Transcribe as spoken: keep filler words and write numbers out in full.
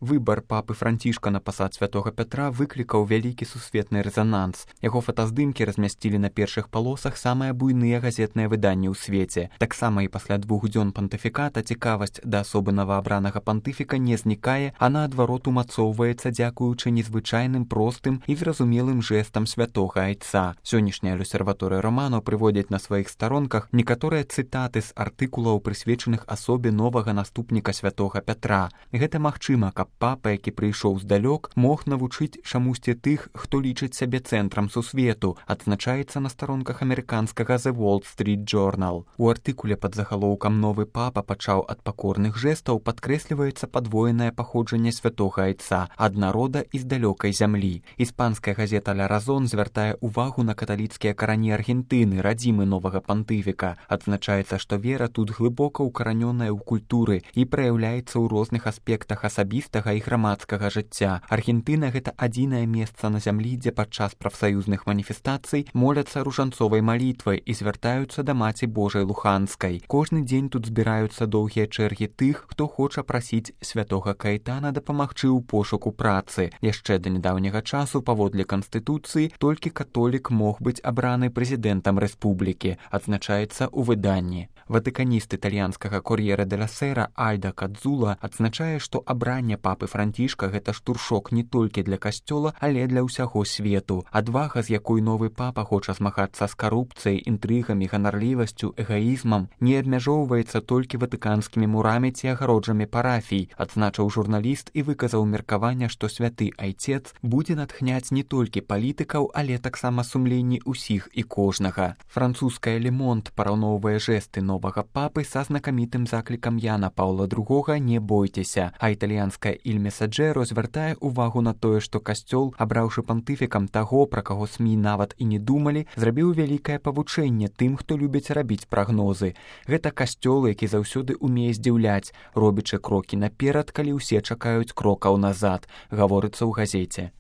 Выбар папы Францішка на пасад святога Пятра выклікаў вялікі сусветны рэзананс. Яго фотаздымкі размясцілі на першых палосах самыя буйныя газетныя выданні ў свеце. Таксама і пасля двух дзён пантыфіката цікавасць да асобы новаабранага пантыфіка не знікае, а наадварот умацоўваецца дзякуючы незвычайным, простым і зразумелым жэстам святога айца. Сённяшняя люсерваторыя Романо прыводзіць на сваіх старонках некаторыя цытаты з артыкулаў, прысвечаных асобе новага наступніка святога Пятра. Гэта магчыма, каб папа, які прыйшоў здалёк, мог навучыць чамусьці тых, хто лічыць сябе цэнтрам сусвету, адзначаецца на старонках амерыканскага The Wall Street Journal. У артыкуле пад загалоўкам «Новы папа пачаў ад пакорных жэстаў» падкрэсліваецца падвоенае паходжанне святога айца ад народа і з далёкай зямлі. Іспанская газета «Ля Разон» звяртае ўвагу на каталіцкія карані Аргентыны, радзімы новага пантыфіка. Адзначаецца, што вера тут глыбока ўкаранёная ў культуры і праяўляецца ў розных аспектах асабістага і грамадскага жыцця. Аргентына — гэта адзінае месца на зямлі, дзе падчас прафсаюзных маніфестацый моляцца ружанцовай малітвай і звяртаюцца да Маці Божай Луханскай. Кожны дзень тут збіраюцца доўгія чэргі тых, хто хоча прасіць святога Каэтана дапамагчы ў пошуку працы. Яшчэ да нядаўняга часу, паводле Канстытуцыі, толькі католік мог быць абраны прэзідэнтам рэспублікі, адзначаецца ў выданні. Ватыканіст італьянскага «Кор'єре де ла Сера» Альда Кадзула адзначае, што абранне папы Францішка — гэта штуршок не толькі для касцёла, але для ўсяго свету. Адвага, з якой новы папа хоча змагацца з карупцыяй, інтрыгамі, ганарлівасцю, эгаізмам, не абмяжоўваецца толькі ватыканскімі мурамі ці агароджамі парафій, адзначыў журналіст і выказаў меркаванне, што святы айцец будзе натхняць не толькі палітыкаў, але таксама сумленні ўсіх і кожнага. Французская «Le Monde» параўноўвае жэсты новага папы са знакамітым заклікам Яна Паўла другога «Не бойцеся», а італьянская «Il Messaggero» звяртае ўвагу на тое, што касцёл, абраўшы пантыфікам таго, пра каго СМІ нават і не думалі, зрабіў вялікае павучэнне тым, хто любіць рабіць прагнозы. Гэта касцёл, які заўсёды умее здзіўляць, робячы крокі наперад, калі ўсе чакаюць крокаў назад, гаворыцца ў газеце.